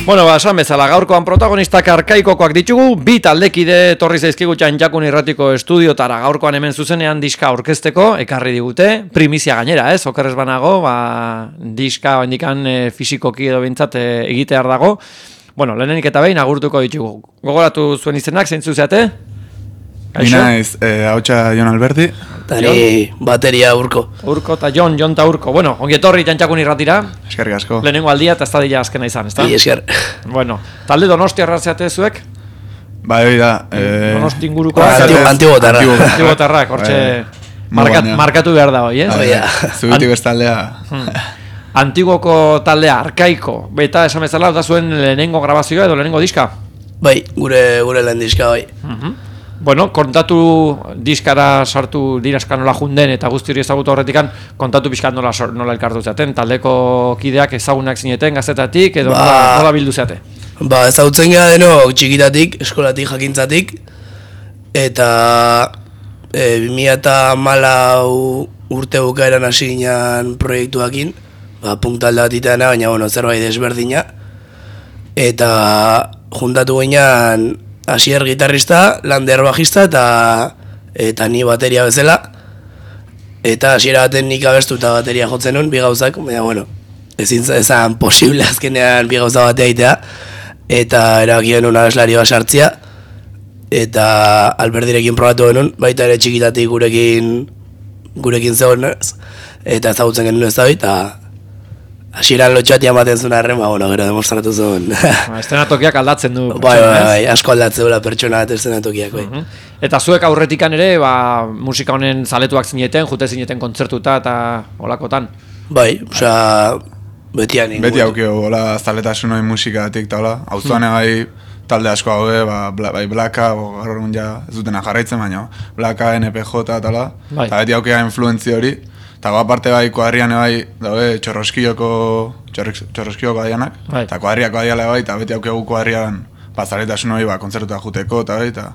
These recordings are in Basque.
Bueno, esan bezala, gaurkoan protagonistak arkaikokoak ditugu, bi taldekide etorri zaizkigu Txantxakun Irratiko estudiotara gaurkoan hemen zuzenean diska aurkezteko, ekarri digute, primizia gainera, okerrez banago, diska indikan fisikoki edo bintzat egitear dago. Bueno, lehenenik eta behin agurtuko ditugu. Gogoratu zuen izenak, zeintzu zeate? Mina ez, hautsa Jon Alberti. Tani bateria Urko. Urko eta Jon eta Urko. Bueno, ongi etorri Txantxakun Irratira. Eskerrik asko. Lehenengo aldia eta ez da dira azkena izan, ezta? Esker. Bueno, talde Donostiarra zeate zuek? Bai, hori da. Donosti inguruko. Antibotarrak, hortxe markatu behar da hoi, ez? Zubitik bestaldea. Antigoko taldea, arkaiko. Eta esan bezala, da zuen lehenengo grabazioa edo lehenengo diska? Bai, gure lehen diska, bai. Bueno, kontatu diskara sartu diraska nola junden eta guzti hori ezagutu horretikan, kontatu pixkat nola elkartu zaten, taldeko kideak ezagunak zineten gazetatik edo nola bildu zate? Ezagutzen gara denok txikitatik, eskolatik, jakintzatik, eta 2014 urte bukaeran hasi ginen proiektuakin, punk talde bat itana, baina zerbait desberdina, eta juntatu ginen Asier gitarrista, Lander bajista eta ni bateria bezala. Eta hasiera baten nik abestu eta bateria jotzen nun, bi gauzak, baina ezin posible azkenean bi gauza batea egitea. Eta erabakien nun abeslari bat sartzea. Eta Alberdirekin probatu genuen, baita ere txikitatik gurekin zegoen, eta ezagutzen genuen ez da eta hasieran lotxatia ematen zuen arren, gero demostratu zuen. Estenatokiak aldatzen du. Bai, asko aldatzen duela pertsona bat estenatokiak, bai. Eta zuek aurretikan ere, musika honen zaletuak zineten, jute zineten kontzertuta eta olakotan? Bai, beti anin. Beti aukio, hola zaletasun hori musikatik eta hola. Auzoan bai talde asko haude, bai Blaka, gaur egun ja ez dutena jarraitzen, baina Blaka, NPJ eta hola. Eta beti aukea influentzia hori. Eta aparte bai koadrian bai daude txorroskioko adianak, eta koadriako adiala bai, eta beti aukegu koadrian zaletasun hori kontzertuta juteko, eta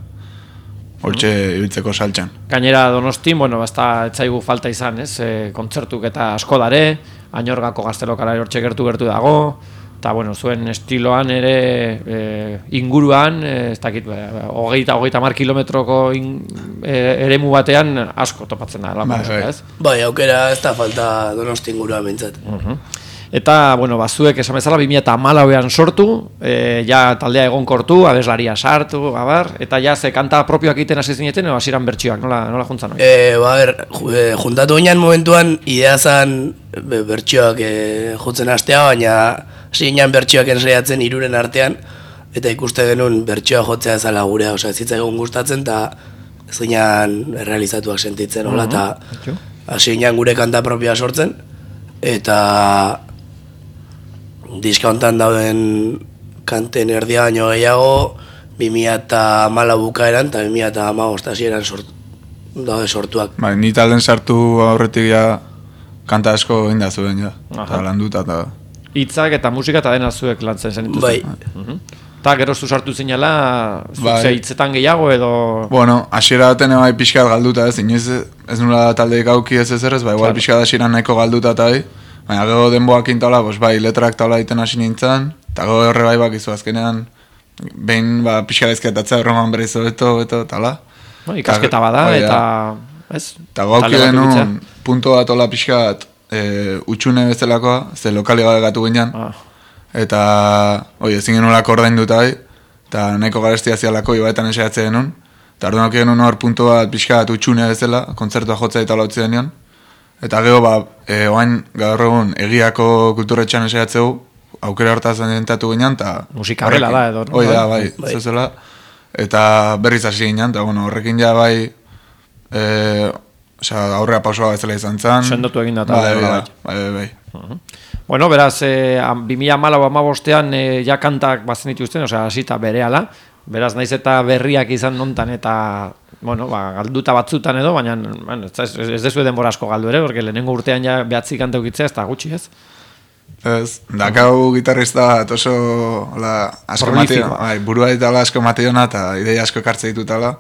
hortxe ibiltzeko saltxan. Gainera Donostin, ez da etzaigu falta izan, ez? Kontzertuk eta asko dare, Añorgako gaztelokala hortxe gertu dago, eta zuen estiloan ere inguruan, ez dakit, 30 kilometroko eremu batean asko topatzen da. Bai, aukera ez da falta Donosti inguruan bintzat. Eta, zuek esan bezala 2014an sortu, ja taldea egonkortu, abeslaria sartu, eta ja ze kanta propioak egiten hasi zineten, edo hasieran bertsioak, nola juntzan hori? Juntatu ginen momentuan, idea zan bertsioak jutzen hastea, baina hasi ginen bertsioak ensaiatzen hiruren artean, eta ikuste genuen bertsioa jotzea ezala gurea, ez zitzaigun gustatzen, eta ez ginen realizatuak sentitzen, eta hasi ginen gure kanta propioa sortzen, eta diska hontan dauden kanten erdia baino gehiago 2014 bukaeran eta 2015 hasieran daude sortuak. Ni talden sartu aurretik ja kanta asko egin da zuen, eta landuta eta... Hitzak eta musika eta dena zuek lantzen zen dituzten. Bai. Eta geroztu sartu zinela, zutze hitzetan gehiago edo... Hasiera baten bai pixkat galduta ez, inoiz ez nula taldeik auki ez ezerrez, igual pixkat hasieran nahiko galduta eta baina gero denboak intola, letrak taula egiten hasi nintzen, eta gero horre bai bakizu azkenean, behin pixkat ezketatzea erroman berriz hobeto, eta hala. Ikasketa bada, eta... Eta gauki denun, punto bat hola pixkat utxune bezalakoa, ze lokali gabe gatu ginen, eta ezin genulako ordainduta eta nahiko garestia zialako ibaetan esaiatze genuen, eta orduan auki genuen hor punto bat pixkat utxune bezala, kontzertua jotzea eta lautzi denean, eta gero oain gaur egun egiako kulturetxan esaiatzeu, aukera hortaz dentatu ginen, eta... Musika horrela da edo. Hoi da, zezela, eta berriz hasi ginen, eta horrekin ja aurrea pausoa bezala izan zen. Sendotu egin da. Bai. Beraz, 2014an ja kantak bazen dituzten, hasita berehala, beraz naiz eta berriak izan nontan eta galduta batzutan edo, baina ez dezu denbora asko galdu ere, porque lehenengo urtean ja 9 kanta ukitzea, ez da gutxi ez? Ez, dakau gitarrista oso asko mateiona, burua eta asko mateiona eta ideia asko ekartze ditutala,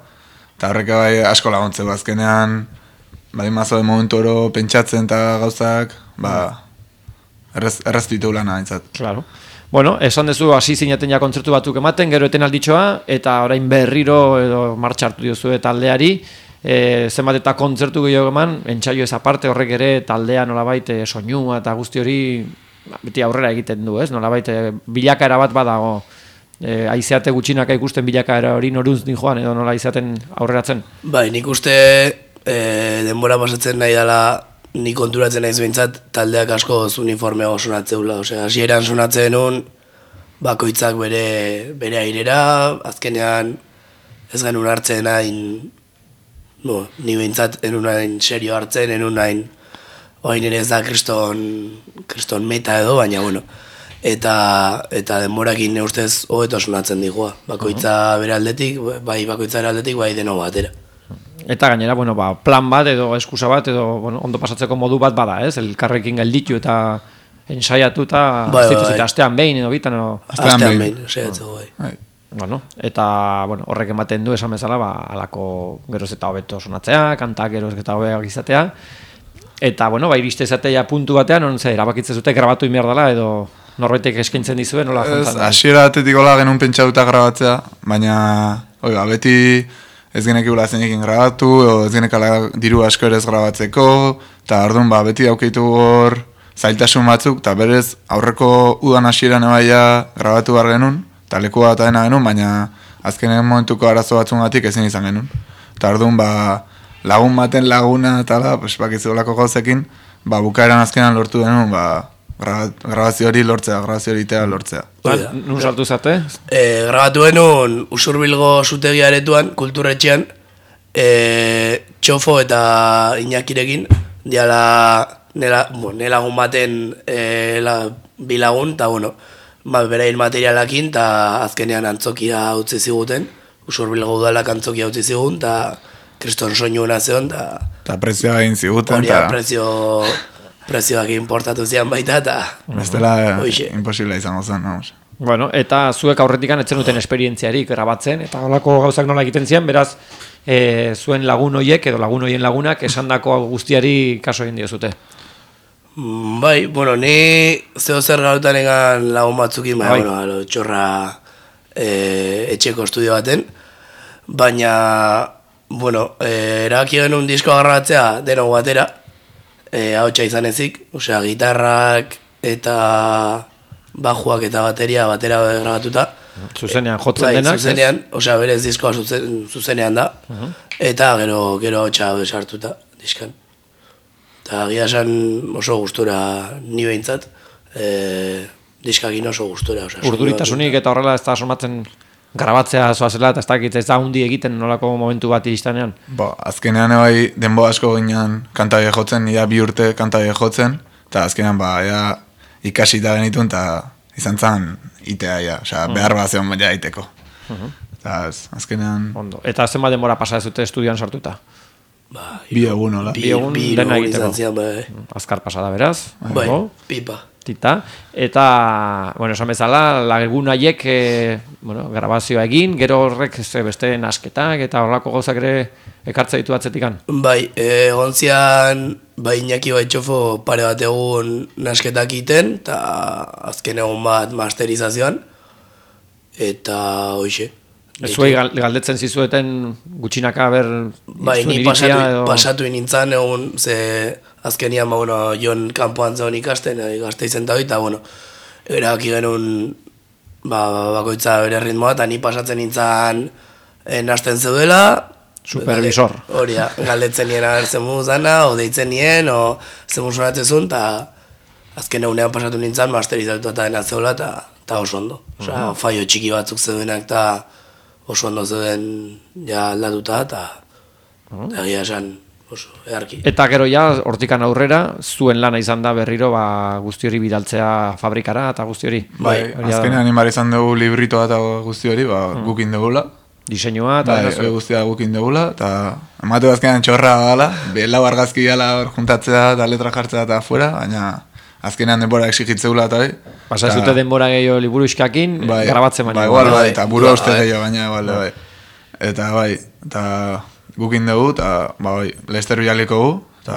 eta horrek asko laguntzeu azkenean, mazo de momentu oro pentsatzen eta gauzak, erraztu lana aintzat. Claro. Bueno, esan dezu hasi zinaten ja kontzertu batzuk ematen, gero etenalditxoa, eta orain berriro edo martxa hartu diozue taldeari, zenbat eta kontzertu gehiago eman, entsaio ez aparte horrek ere taldea nolabait soinua eta guzti hori beti aurrera egiten du, ez? Nolabait bilakaera bat badago, aizeate gutxinaka ikusten bilakaera hori noruz din joan, edo nola aizeaten aurreratzen? Bai, nik uste denbora pasatzen nahi dela, nik konturatzen naiz behintzat taldeak asko uniforme sonatzeula, hasieran sonatzen nun, bakoitzak bere airera, azkenean ez genuen hartzen hain, ni behintzat enun hain serio hartzen, enun hain, oain ere ez da kriston meta edo, baina bueno, eta denborakin ustez hobeto sonatzen digua, bakoitza bere aldetik, bai bakoitza bere aldetik, bai deno batera. Eta gainera, bueno, plan bat edo eskusa bat edo ondo pasatzeko modu bat bada, ez? Elkarrekin gelditu eta ensaiatu eta astean behin edo bitan edo... Astean behin, saiatzeko bai. Bueno, eta horrek ematen du esan bezala, alako geroz eta hobeto sonatzea, kantak geroz eta hobeak izatea. Eta, iriste izatea puntu batean, erabakitzen zute grabatu inbiar dela edo norbaitek eskaintzen dizuen, nola jontzan? Hasiera atetik hola genuen pentsatuta grabatzea, baina, beti... ez genekigula zeinekin grabatu, ez genekala diru asko ere ez grabatzeko, eta orduan beti daukeitu hor zailtasun batzuk, eta berez aurreko udan hasieran ebaia grabatu behar genuen, eta leku bat adena genuen, baina azkenen momentuko arazo batzungatik ezin izan genuen. Eta orduan lagun baten laguna eta bakizuelako gauzekin, bukaeran azkenan lortu genuen, grabazio hori lortzea, grabazio hori lortzea. Nun sartu zate? Grabatu genuen Usurbilgo zutegi aretuan, kulturretxean, Txofo eta Iñakirekin, diala nelagun baten bilagun, eta berain materialakin, eta azkenean antzokia utzi ziguten, Usurbilgo udalak antzokia utzi zigun, eta kriston soinu nazeon, eta prezioa egin ziguten, eta prezioak importatu zian baita, eta... Bestela imposible izango zen, vamos. Bueno, eta zuek aurretikan etzen duten esperientziarik grabatzen, eta holako gauzak nola egiten zian, beraz, zuen lagun hoiek edo lagun hoien lagunak esandako guztiari kaso egin diozute. Bai, ni zeo zer gautan egan lagun batzukin, txorra etxeko estudio baten, baina, erabaki genuen diskoa grabatzea denok batera, hautsa izan ezik, gitarrak eta bajuak eta bateria batera grabatuta. Zuzenean jotzen denak? Zuzenean, berez diskoa zuzenean da, eta gero hautsa sartuta diskan. Eta gira esan oso gustura ni behintzat, diskakin oso gustura. Urduritasunik eta horrela ez da somatzen grabatzea zoazela, eta ez dakit ez da hundi egiten nolako momentu bat iristanean? Azkenean denbo asko ginen kantabe jotzen, nire 2 urte kantabe jotzen, eta azkenean ikasita genitun, eta izan zen itea, behar bat zeon baina iteko. Azkenean... Eta zenbat denbora pasa ez dute estudioan sartuta? 2 egun, hola. 2 egun dena egiteko. Azkar pasada, beraz? Pipa. Tita, eta, esan bezala, lagun haiek, grabazioa egin, gero horrek beste nasketak eta horrelako gauzak ere ekartza ditu atzetikan. Bai, gontzian, Iñaki Txofo pare bat egun nasketak iten, eta azken egun bat masterizazioan, eta hoxe. Zuei galdetzen zizueten gutxinaka ber... Bai, ni pasatu nintzen egun, ze azkenian, Jon kanpoan zegoen ikasten, gazte izen da hori, eta, erabaki genuen bakoitza bere ritmoa, eta ni pasatzen nintzen nasten zeudela... Supervisor. Hori, galdetzen nien agertzen muzana, o deitzen nien, o zen sonatzezun, eta azken egunean pasatu nintzen masterizatu eta dena zeudela, eta oso ondo. Faio txiki batzuk zeudenak, eta oso ondo zeuden aldatuta, eta egia esan oso eharki. Eta gero hortikan aurrera, zuen lana izan da berriro guzti hori bidaltzea fabrikara eta guzti hori. Bai, azkenean animar izan dugu libritoa eta guzti hori, gukin dugula. Diseinua eta... Bai, guztia gukin dugula, eta amatu azkenean txorra gala, lau argazki gala juntatzea eta letra jartzea eta afuera, baina azkenean denbora exigitzeula eta Pasa ez dute denbora gehiago liburu iskakin, grabatzen baina. Bai, eta buru uste gehiago baina, bai. Eta bai, eta gukin dugu, eta bai, Lester bialiko gu, eta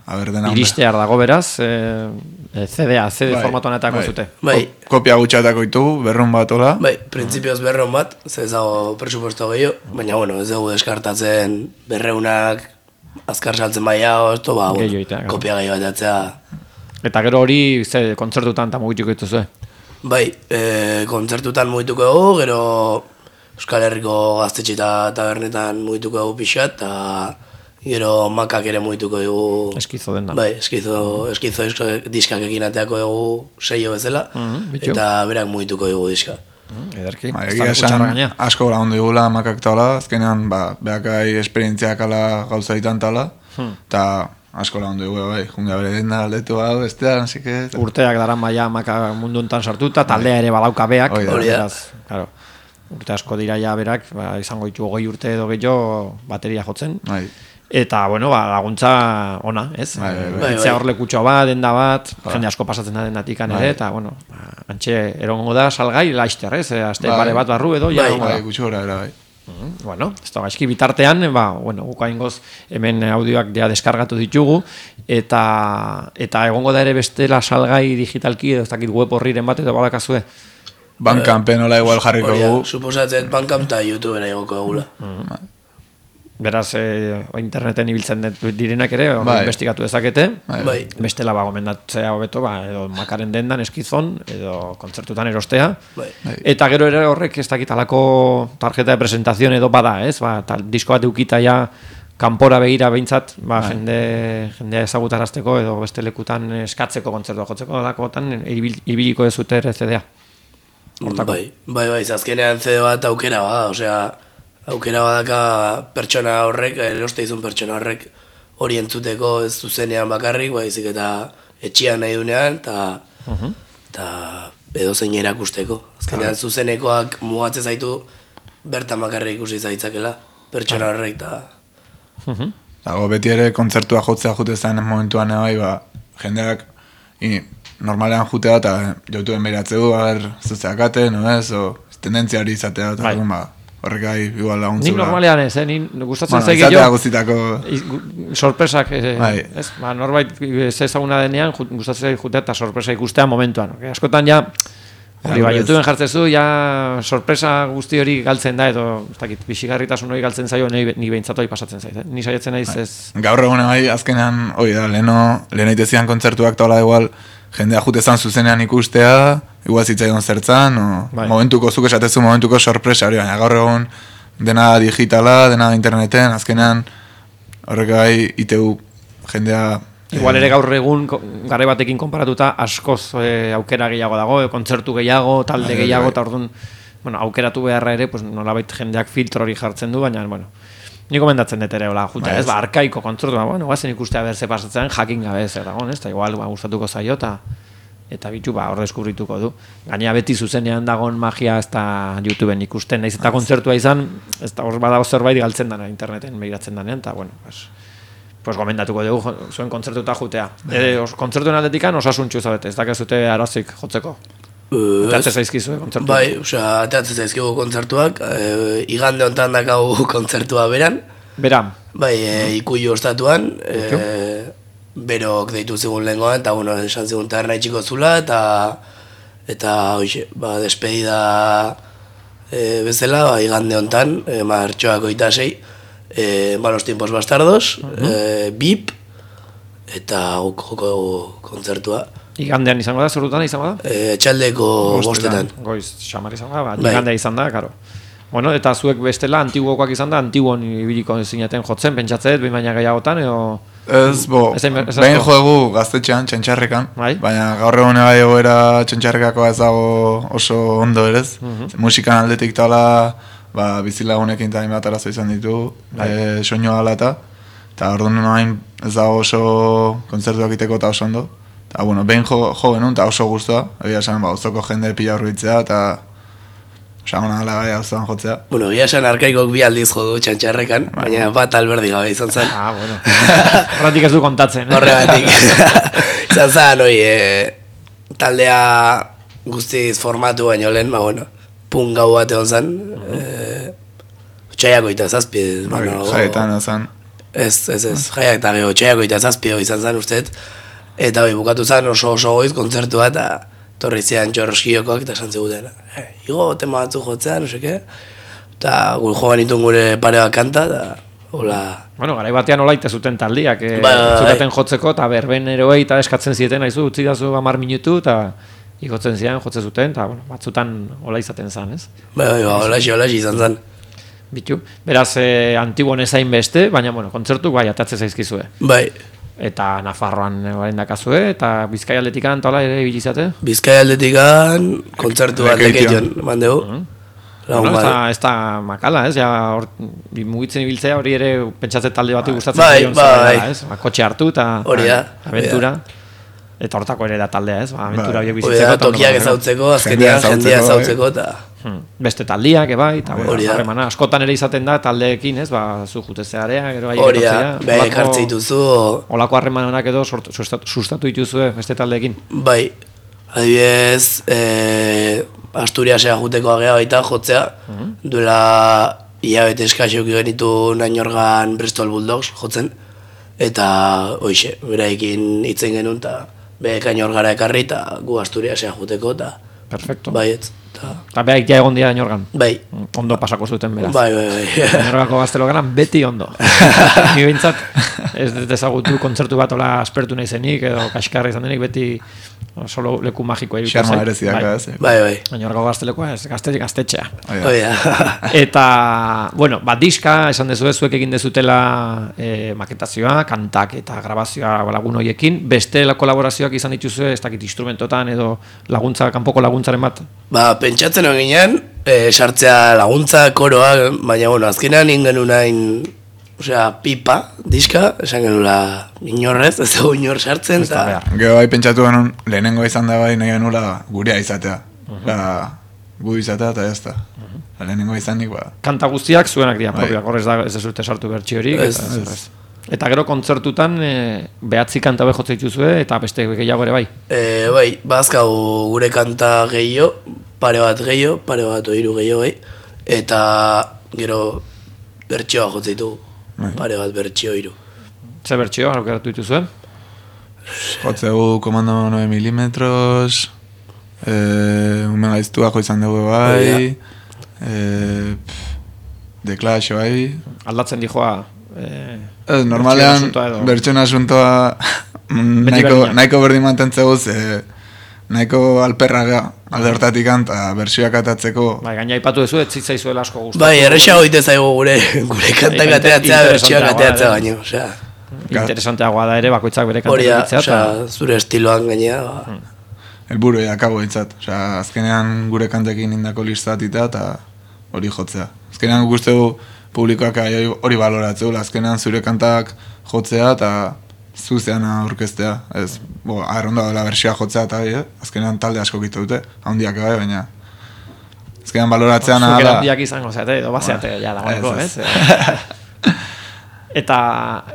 dena iristear dago beraz, CD formatuan etako zute. Bai. Kopia gutxatako ditugu, 200 bat ola. Bai, printzipioz 200 bat, ez dago presupuesto gehiago, baina bueno, ez dugu deskartatzen 200ak azkar saltzen baia, kopia gehiago atatzea. Eta gero hori, kontzertutan eta mugituko dituzue? Bai, kontzertutan mugituko dugu, gero Euskal Herriko gaztetxe eta tabernetan mugituko dugu pixat, eta gero makak ere mugituko dugu... Eskizo den da. Bai, eskizo diskak ekin ateako dugu seio bezala, eta berak mugituko dugu diska. Ederki, egia esan asko lagundu digula makak tala, azkenean behakai esperientziak ala gauza ditan tala, eta asko lagundu dugu, bai, junga bere den da aldetu hau, bestean, así que... Urteak daran maia maka munduntan sartuta, taldea ere badauka beak. Hori da. Urte asko dira ja berak, izango ditu 20 urte edo gehiago bateria jotzen. Bai. Eta, bueno, laguntza ona, ez? Etzea hor lekutxoa bat, denda bat, jende asko pasatzen da dendatikan ere, eta, bueno, antxe erongo da salgai laister, ez? Aste pare bat barru edo, ja. Bai, gutxora era, bai. Bueno, ez da gaizki bitartean, bueno, gukaingoz hemen audioak ja deskargatu ditugu, eta egongo da ere bestela salgai digitalki, edo ez dakit web horriren bat, edo badakazue? Bandcampen hola igual jarriko dugu. Suposatzen Bandcamp eta YouTubera egoko egula. Beraz, interneten ibiltzen direnak ere, investigatu dezakete. Bai. Bestela gomendatzea hobeto, edo makaren dendan eskizon, edo kontzertutan erostea. Bai. Eta gero ere horrek ez dakit alako tarjeta de presentazion edo bada, ez? Disko bat eukita ja kanpora begira behintzat, jendea ezagutarazteko edo beste lekutan eskatzeko kontzertua jotzeko dakotan ibiliko ez zute CD-a. Bai, azkenean CD bat aukera bada, osea, aukera badaka pertsona horrek, eroste izun pertsona horrek hori entzuteko ez zuzenean bakarrik, baizik eta etxean nahi dunean, eta edo zein erakusteko. Azkenean zuzenekoak mugatzen zaitu bertan bakarrik ikusi zaitzakela, pertsona horrek, eta... Dago, beti ere kontzertua jotzea jute zen momentuan bai, jendeak normalean jutea eta jautuen behiratze du, zuzeakate, no ez, tendentzia hori izatea, eta horrek gai igual laguntzu. Nik normalean ez, gustatzen zaik izatea guztitako... Sorpresak, ez? Norbait ez ezaguna denean, gustatzen zaik jutea eta sorpresa ikustea momentuan. Askotan ja, YouTubeen jartzezu, ja sorpresa guzti hori galtzen da, edo, ez dakit, bixigarritasun hori galtzen zaio, ni behintzatu hori pasatzen zait. Ni saiatzen naiz ez... Gaur egun bai, azkenean, hori da, lehen aitezian kontzertuak taula igual, jendea jutezan zuzenean ikustea, igual zitzaion zertzan, momentuko, zuk esatezu momentuko sorpresa hori, baina gaur egun dena digitala, dena interneten, azkenean horrek gai iteu jendea... Igual ere gaur egun garre batekin konparatuta askoz aukera gehiago dago, kontzertu gehiago, talde gehiago, eta orduan aukeratu beharra ere, nolabait jendeak filtro hori jartzen du, baina, ni gomendatzen dut ere, juta, ez, arkaiko kontzertu, guazen ikustea berze pasatzen, jakin gabe ez, eta igual gustatuko zaio, eta bitu, hor deskubrituko du. Gainea beti zuzenean dagoen magia ez da YouTubeen ikusten, naiz eta kontzertua izan, ez da hor badago zerbait galtzen dana, interneten begiratzen danean, eta, pues gomendatuko dugu zuen kontzertuta jutea. Kontzertuen aldetikan osasuntxu zabete, ez dakazute arazik jotzeko. Ateatzen zaizkizu kontzertuak? Bai, ateatzen zaizkigu kontzertuak, igande honetan dakagu kontzertua beran. Beran? Bai, Ikuiu ostatuan, berok deitu zigun lehenkoan, eta esan zigun taberna itxiko zula, eta despedida bezala, igande honetan, martxoak 26, Malos tiempos bastardos, BIP, eta joko kontzertua. Igandean izango da, zorutan izango da? Etxaldeko bostetan. Goiz, xamar izango da, igandea izan da, karo. Bueno, eta zuek bestela antiguokoak izan da, antiguon ibiliko zinaten jotzen, pentsatzet, behin baina gehiagotan, edo... Ez, behin joegu gaztetxean, txantxarrekan, baina gaur egun bai egoera txantxarrekakoa ez dago oso ondo erez. Musikan aldetik tala, bizilagunekin eta hainbat arazo izan ditu, soinua ala eta orduan hain ez dago oso kontzertuak iteko eta oso ondo. Eta, behin jo genuen eta oso guztua, egia esan, ozoko jende pila horbitzea, eta osagona gala gai auzoan jotzea. Egia esan arkaikok 2 aldiz jo du txantxarrekan, baina bat alberdi gabe izan zen. Horretik ez du kontatzen. Horregatik. Izan zen, taldea guztiz formatu baino lehen, pun gau bat egon zen, txaiako eta zazpi. Jaetan egon zen. Ez, jaiak eta geho, txaiako eta zazpio izan zen usteet, eta bukatu zen oso goiz kontzertua, eta torri zian txorroskiokoak eta esan ziguten. Igo, tema batzu jotzea, no seke, eta gure joan itun gure pare bat kanta, eta hola... Bueno, garai batean hola ite zuten taldiak, zutaten jotzeko, eta berben eroei eta eskatzen zieten, haizu, utzi dazu 10 minutu, eta igotzen zian, jotze zuten, eta bueno, batzutan hola izaten zen, ez? Hola izan zen. Bitu, beraz, Antibon ezain beste, baina, bueno, kontzertu bai, atatze zaizkizue. Bai. Eta Nafarroan baren dakazue, eta Bizkai aldetikan, eta hola ere bilizate? Bizkai aldetikan, kontzertu aldekeion, mandegu. Bueno, ez da makala, ez? Ja, mugitzen ibiltzea hori ere pentsatze talde bati gustatzen zion zela, ez? Kotxe hartu eta aventura. Eta hortako ere da taldea, ez? Aventura horiek bizitzeko. Tokiak ezautzeko, azkenean jendia ezautzeko eta... Beste taldiak, ebai, eta harremana. Askotan ere izaten da taldeekin, ez? Zu jutezearea, gero gai ekartzea. Bai, ekartze dituzu. Olako harremanak edo sustatu dituzue beste taldeekin. Bai, adibidez, Asturiasea juteko agea baita jotzea, duela hilabete eskaxeuk genitu Nainorgan Bristol Bulldogs jotzen, eta hoixe, beraekin hitzen genuen, eta Nainorgara ekarri, eta gu Asturiasea juteko, eta perfecto. Baietz. Eta behaik ja egon dira Nainorgan. Bai. Ondo pasako zuten beraz. Bai. Nainorgako gaztelogaran beti ondo. Ni behintzat ez dezagutu kontzertu bat ola aspertu nahi zenik, edo kaskarra izan denik beti solo leku magikoa irutu zen. Xarma bereziak, ez? Bai. Nainorgako gaztelekoa ez, gaztetxea. Bai. Eta, bueno, diska, esan dezu zuek egin dezutela maketazioa, kantak eta grabazioa lagun horiekin, beste kolaborazioak izan dituzue, ez dakit instrumentotan edo laguntza, kanpoko laguntzaren bat? Pentsatzen hori ginen, sartzea laguntza, koroa, baina, bueno, azkenean ingen unain, pipa, diska, esan genula inorrez, ez dugu inor sartzen, eta... Gero bai pentsatu genuen, lehenengo izan da bai nahi genula gurea izatea. Gu izatea eta jazta. Lehenengo izanik, Kanta guztiak zuenak dira, propioak, horrez da, ez dezute sartu bertxi horik. Eta gero kontzertutan behatzi kanta behotze dituzue eta beste gehiago ere bai? Bai, bazkau gure kanta gehiago, pare bat oiru gehiago bai, eta gero bertxioa jotze ditugu, pare bat bertxio oiru. Ze bertxio, aukeratu dituzue? Jotzegu komando 9 milimetros, umen gaiztuako izan dugu bai, The Clash bai. Aldatzen dijoa... normalean, bertxon asuntoa nahiko berdin mantentzeguz, nahiko alperraga alde hortatik eta bertsioak atatzeko. Bai, gaina ipatu duzu, ez zitzaizuela asko gustatu. Bai, errexago ite zaigu gure kantak ateatzea, bertsioak ateatzea baino. Interesanteagoa da ere, bakoitzak bere kantak ateatzea. Zure estiloan gainea. Elburu akago ditzat. Azkenean gure kantekin indako listatita eta hori jotzea. Azkenean guztegu publikoak hori baloratzeu, azkenean zure kantak jotzea eta zuzean aurkeztea. Ez, arronda dela bersioa jotzea eta azkenean talde asko gitu dute, handiak bai, baina azkenean baloratzea nahala... Zuker handiak izango zeate, edo bazeate, ja, dagoeneko, ez? Eta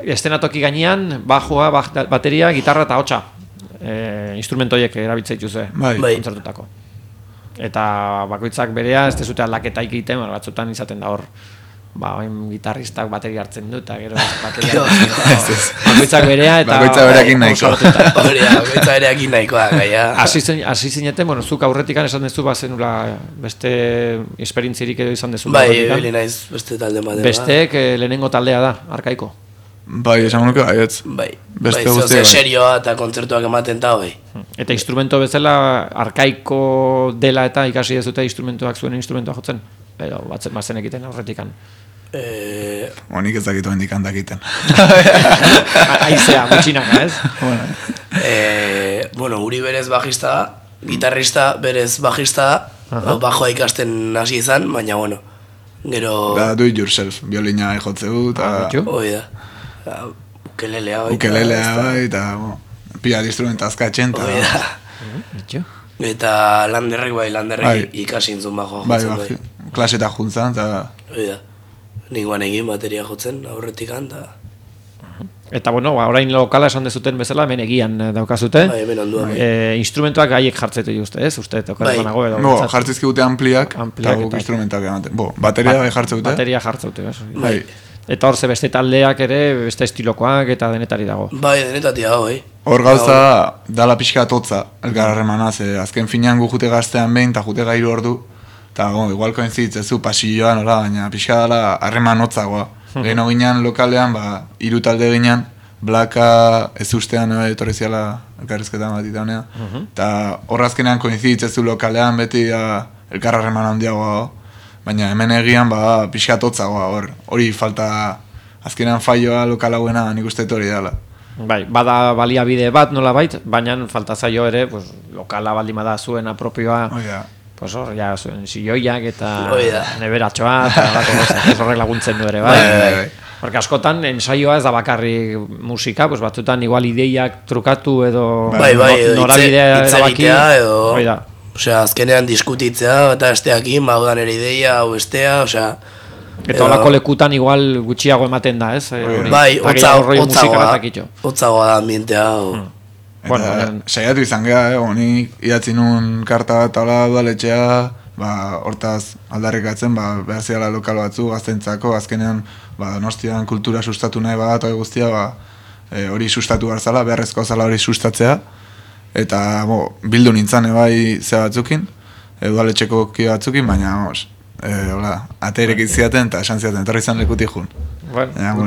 estenatoki gainean, bajua, bateria, gitarra eta hotxa. Instrumentoiek erabiltza dituzue, kontzertutako. Eta bakoitzak berea, ez dezute aldaketa egiten, batzutan izaten da hor. Gitarristak bateria hartzen du eta gero bateria bakoitzak berea eta bakoitzak bereakin nahiko. Bakoitzak bereakin nahikoa gaia. Hasi zineten, bueno, zuk aurretikan esan dezu bazenula beste esperientzirik edo izan dezu. Bai, hori naiz beste talde batean. Besteek lehenengo taldea da, Arkaiko. Bai, esan nuke baietz. Bai, serioa eta kontzertuak ematen da, bai. Eta instrumento bezala Arkaiko dela eta ikasi dezute instrumentuak zuen instrumentua jotzen? Edo batzen egiten aurretikan. Nik ez dakitu hendik handakiten. Aizea, gutxinaka, ez? Bueno, uri berez bajista da, gitarrista berez bajista da, bajoa ikasten hasi izan, baina, bueno, gero... Da, do it yourself, biolina ejotzeu, eta... Hoi da, ukelelea bai. Ukelelea bai, eta pila instrumenta azkatzen, eta... Eta landerrek ikasi intzun bajoa jotzen bai. Klaseta juntzan, eta... Hoi da, ninguan egin bateria jotzen aurretikan, eta... Eta, bueno, orain lokala esan dezuten bezala, hemen egian daukazute. Bai, hemen onduan. Instrumentuak gaiek jartzetu juzte, ez? Uste, tokarezanago edo. No, jartzizkigute ampliak, eta guk instrumentak ematen. Bateria bai jartzeute. Bateria jartzeute, ez? Bai. Eta hor ze beste taldeak ere, beste estilokoak eta denetari dago. Bai, denetati dago, Hor gauza, dala pixka atotza, elkar harremana, azken finean gu jute gaztean behin, eta jute gairu ordu, eta igual koinzitzezu pasilloan, baina pixka dala harreman hotzagoa. Geheno ginean lokalean, hiru talde ginean, Blaka ez ustean etorri ziala elkarrizketan bat itaunea. Eta horrazkenean koinzitzezu lokalean beti elkar harreman handiagoa. Baina hemen egian pixka atotzagoa hori falta azkenean faioa lokal hauena nik uste hori dela. Bai, bada baliabide bat nola bait, baina falta zaio ere, pues, lokala baldin bada zuena propioa, pues hor, ja, zuen silloiak eta neberatxoa, eta horrek laguntzen du ere, bai. Porque askotan, ensaioa ez da bakarri musika, pues batzutan igual ideiak trukatu edo norabidea itzagitea edo... Osea, azkenean diskutitzea eta esteakin, baudan ere ideia, hau estea, osea... Eta holako lekutan igual gutxiago ematen da, ez? Bai, hotzagoa da ambientea. Eta saiatu izan geha, honi idatzi nun karta bat ala udaletxea, hortaz aldarrikatzen, behar ziala lokal batzu, gaztentzako, azkenean Donostian kultura sustatu nahi bat, guztia, hori sustatu barzala, beharrezko zala hori sustatzea. Eta bildu nintzen ebai ze batzukin, udaletxeko kio batzukin, baina ateirek iziaten eta esan ziaten, etorri izan lekutik jun.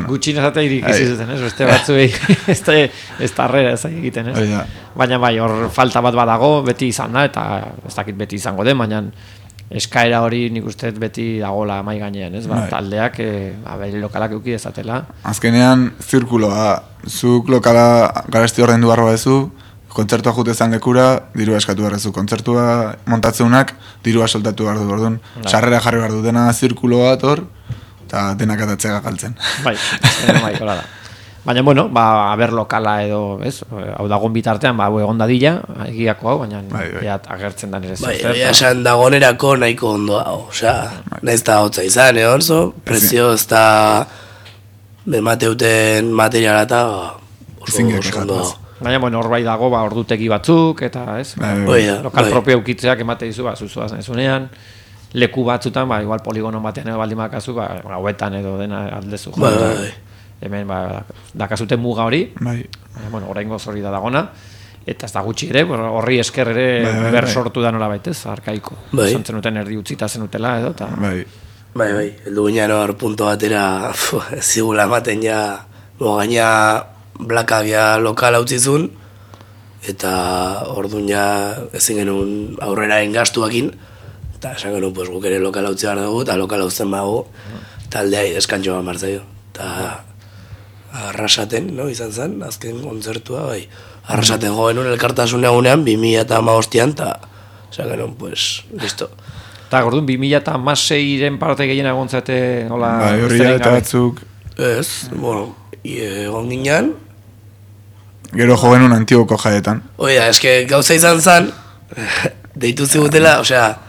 Gutxin ez ateirik iziaten, beste batzuei ez tarrera ez egiten, ez? Baina bai, hor falta bat badago, beti izan da, eta ez dakit beti izango den, baina eskaera hori nik uste beti dagoela mai gainean, ez? Taldeak, bere lokalak euki dezatela. Azkenean, zirkuloa, zuk lokala garesti horrein du barroa ezu, kontzertua jute zan lekura, dirua eskatu barrezu. Kontzertua montatzeunak, dirua soltatu behar du, orduan. Sarrera jarri behar du dena zirkulo bat hor, eta denak atatzea galtzen. Bai, hola da. Baina, bueno, haber lokala edo, ez, hau dagoen bitartean, egon dadila, egiako hau, baina agertzen da nire zertzen. Bai, esan dagonerako nahiko ondoa, osea, nahiz da hotza izan, orzo, prezio ez da bemateuten materiala eta oso ondoa. Baina, bueno, hor bai dago, ordutegi batzuk, eta, ez? Lokal propio eukitzeak emate dizu, zuzuaz nezunean, leku batzutan, igual poligono batean edo baldin bakazu, gauetan edo dena aldezu. Hemen, dakazuten muga hori, bueno, oraingoz hori da dagona, eta ez da gutxi ere, horri esker ere ber sortu da nola baitez, arkaiko. Zantzen duten erdi utzita zenutela edo, eta... Bai, heldu ginean hor punto batera, zigula ematen ja, gaina... Blakagia lokala utzizun, eta orduan ja ezin genuen aurrera engastuakin, eta esan genuen guk ere lokala utzi behar dugu, eta lokala utzen bago, taldea ideskantxo bat martzaio. Eta Arrasaten, izan zen, azken kontzertua, bai. Arrasaten jo genuen elkartasun egunean, 2015an, eta esan genuen, listo. Eta orduan, 2016-ren parte gehiena egontzate, hola... Bai, horria eta batzuk... Ez, bueno... egon ginean gero jo genuen Antiguoko jaietan. Oida, eske gauza izan zen deitu zigutela, osea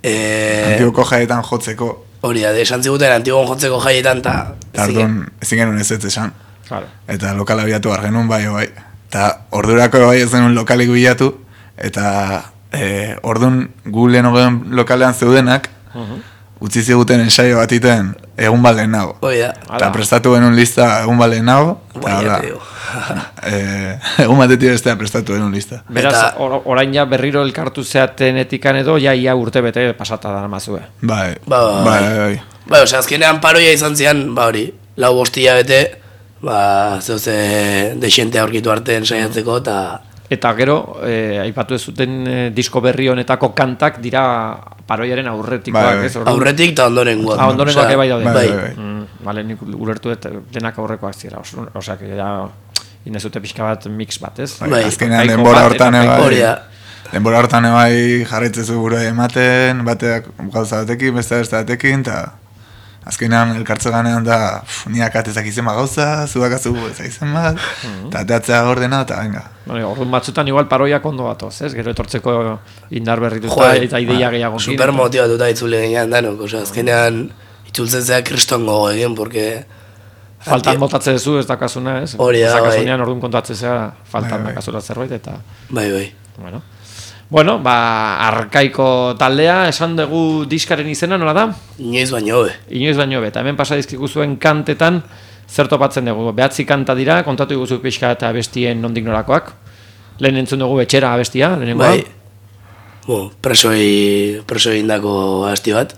Antiguoko jaietan jotzeko hori da, esan ziguten Antiguon jotzeko jaietan eta ezin genuen ez esan eta lokala bilatu behar genuen bai eta ordurako bai ez genuen lokalik bilatu eta orduan gu lehen lokalean zeudenak utzi ziguten ensaio bat iten egun bat lehenago. Eta prestatu genuen lista egun bat lehenago. Egun batetik bestea prestatu genuen lista. Beraz, orain ja berriro elkartu zeaten etikan edo, ia urte bete pasata da namazue. Bai. Osea, azkenean paroia izan zian, hori, 4 hilabete, zeuze dexentea aurkitu artean saiatzeko, eta gero, aipatu ez zuten disko berri honetako kantak dira paroiaren aurretikoak, ez? Aurretik eta ondorengoak. Ondorengoak bai daude. Bale, nik ulertu denak aurrekoak zira. Osea, que ja inezute pixka bat mix bat, ez? Azkenean denbora hortan denbora hortan ebai jarritzezu gure ematen, bateak gauza batekin, beste batekin, eta azkenean elkartze ganean da niak atezak izen bat gauza, zudakazu izen bat, eta ateatzea ordena, eta venga. Orduan batzutan igual paroiak ondo batoz, ez? Gero etortzeko indar berrituta eta ideia gehiago. Super motibatuta itzule genean danok, azkenean itzultzen zea kristongo egin, porque... Faltan botatze duzu ez dakazuna, ez? Hori da, bai. Zakasunean orduan kontatzea faltan dakazula zerbait, eta... Bai. Bueno, arkaiko taldea, esan dugu diskaren izena, nola da? Inoiz baino hobe. Inoiz baino hobe, eta hemen pasa dizkigu zuen kantetan, zer topatzen dugu? 9 kanta dira, kontatu iguzu pixka eta abestien nondik norakoak. Lehen entzun dugu etxera abestia, lehenengoa. Presoi indako abesti bat.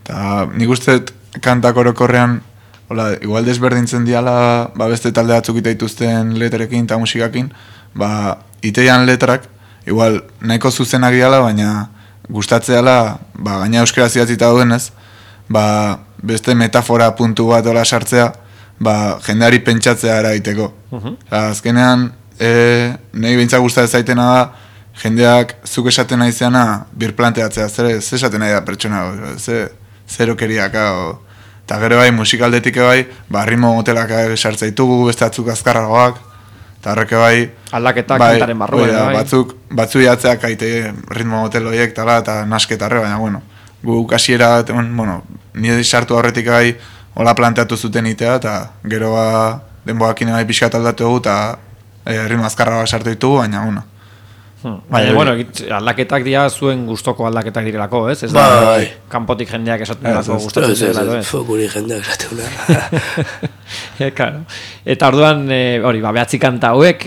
Eta nik uste kantak orokorrean, igual desberdintzen diala, beste talde batzuk itaituzten letrekin eta musikakin, iteian letrak, igual nahiko zuzenak diala, baina gustatzeala, gaina euskera zidatzita duenez, beste metafora puntu bat ola sartzea, jendeari pentsatzea eraiteko. Azkenean, nahi behintzak gustatzen zaitena da, jendeak zuk esaten nahi zeana birplanteatzea, zer esaten nahi da pertsona, zerokeriak, eta gero bai, musikaldetik bai, ritmo motelak sartzea ditugu, beste atzuk azkarragoak, eta horreke bai... Aldaketak kantaren barruan, bai. Batzu jatzeak aite ritmo motel horiek, eta nasketarre, baina, bueno, gu kasiera, nire sartu horretik bai, hola planteatu zuten itea, eta gero denboakin bai pixkat aldatu dugu, eta ritmo azkarragoak sartu ditugu, baina, bueno. Baina, bueno, aldaketak dira zuen gustoko aldaketak direlako, ez? Ez da, kanpotik jendeak esaten delako gustatzen direlako, ez? Fokuri jendeak esaten delako. Eta orduan, 9 kanta hauek,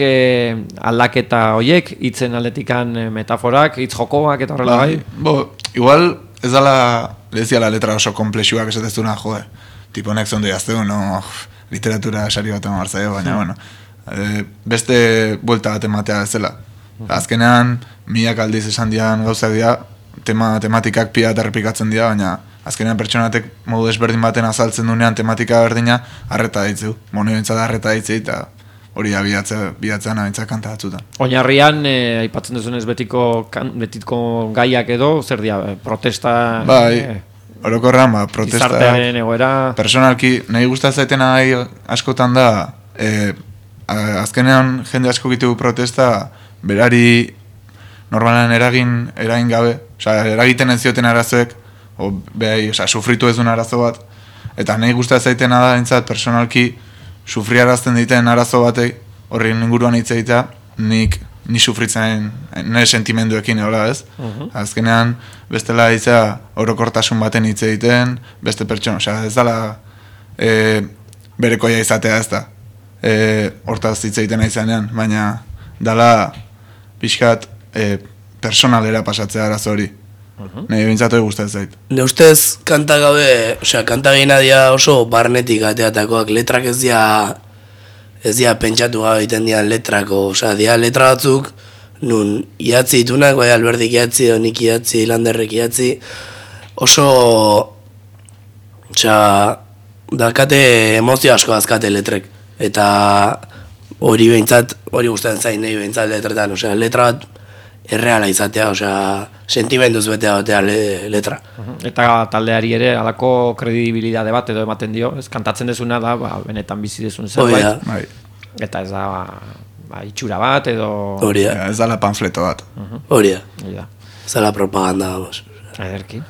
aldaketa horiek, hitzen aldetikan metaforak, hitz jokoak eta horrela bai? Igual, ez dala, leziala letra oso komplexuak esatezuna, tipo nek zondo jazteu, literatura sari bat emartzaio, baina, bueno, beste buelta bat ematea ez dela. Azkenean, milak aldiz esan dian gauzak dira, tematikak pia eta errepikatzen dira, baina azkenean pertsonatek modu desberdin baten azaltzen dunean tematika berdina arreta ditzeu. Mono bintzat arreta ditzei eta hori da bihatzen abintzak kanta batzutan. Oinarrian, aipatzen duzunez betiko gaiak edo, zer dira, protesta... Orokorran, protesta... Izartearen egoera... Personalki, nahi gustatzen askotan da, azkenean jende asko gitu protesta, berari normalan eragin gabe, eragiten ez zioten arazoek, sufritu ez duen arazo bat, eta nahi gustatzen zaitena da, entzat, personalki, sufriarazten diten arazo batei, horren inguruan hitz egitea, ni sufritzen nire sentimenduekin, ez? Azkenean, bestela hitzea orokortasun baten hitz egiten, beste pertsona, ez dala berekoia izatea ez da, hortaz hitz egiten aizanean, baina dala pixkat personalera pasatzea arazo hori. Nahi bintzatu gustatzen zait. Ne ustez kanta gabe, kanta gehina dia oso barnetik ateatakoak, letrak ez dia pentsatu gabe egiten dian letrako, dia letra batzuk, nun iatzi ditunak, bai Alberdik iatzi, nik iatzi, Landerrek iatzi, oso, dakate emozio asko azkate letrek, eta hori behintzat, hori gustatzen zain nahi behintzat letretan, letra bat erreala izatea, sentimenduz betea letra. Eta taldeari ere alako kredibilidade bat edo ematen dio, ez kantatzen dezuna da, benetan bizi dezun zerbait. Eta ez da, itxura bat edo... Hori da. Ez da la panfleto bat. Hori da. Ez da la propaganda, vamos. Ederki.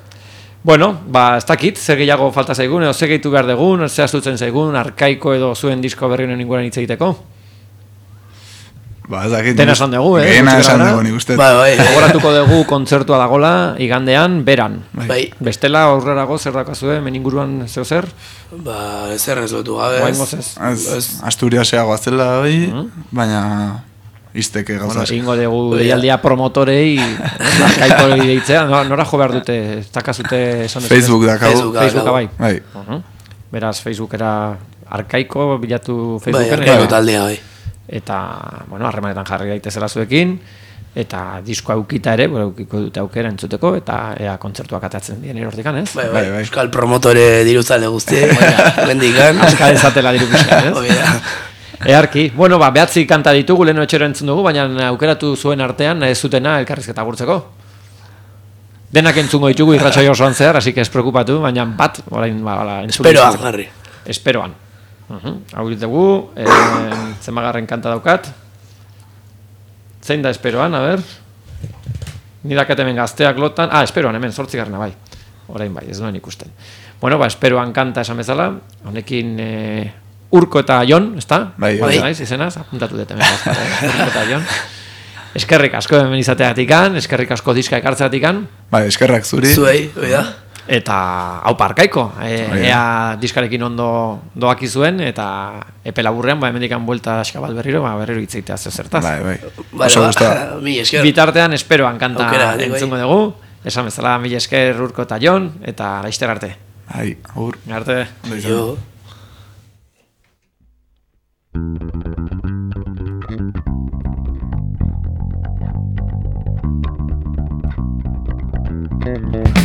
Bueno, ez dakit, zer gehiago falta zaigun, edo zer gehitu behar dugun, zer astutzen zaigun, arkaiko edo zuen disko berri honen inguruan hitz egiteko? Dena esan dugu, Gehena esan dugu, nik uste. Gogoratuko dugu kontzertua dagola, igandean, beran. Bai. Bestela, aurrerago, zer dakazue, meninguruan zeo zer? Ezer ez lotu gabe. Asturiaseago azela, baina izteke gauzak. Ingo dugu deialdia promotorei, arkaiko deitzea, nora jo behar dute, ez dakazute esan dut? Facebook dakagu. Facebooka bai. Beraz, Facebookera arkaiko, bilatu Facebooken. Bai, arkaiko taldea bai. Eta, harremanetan jarri daitezela zuekin, eta diskoa eukita ere, eukiko dute aukera entzuteko, eta ea kontzertuak atatzen dien erortikan, ez? Bai. Euskal promotore diruzale guztiek, bendikan. Azka ezatela diru pixkan, ez? Earki, 9 kanta ditugu, leheno etxero entzun dugu, baina aukeratu zuen artean, ez zutena elkarrizketa gurtzeko. Denak entzungo ditugu irratxoi osoan zehar, así que ez preocupatu, baina bat, orain, Esperoan, jarri. Esperoan. Hau dugu, zemagarren kanta daukat. Zein da esperoan, a ber. Nidakat hemen gazteak lotan. Esperoan, hemen, 8 bai. Orain bai, ez duen ikusten. Esperoan kanta esan bezala. Honekin Urko eta Jon, ez da? Bai. Izenaz, apuntatu dut hemen gaztara, Urko eta Jon. eskerrik asko hemen izateatikan, eskerrik asko diska ekartzeatikan. Bai, eskerrak zuri. Zuei, oida. Eta hau parkaiko, ea diskarekin ondo doaki zuen, eta epe laburrean, hemendikan buelta askabal berriro hitzitea zertaz. Bai. Oso gustoa. Mi esker. Bitartean esperoan kanta Aukera, entzungo dugu, esan bezala mila esker Urko eta Jon, eta laizter arte. Bai, agur. Arte. Jo. Mm-hmm.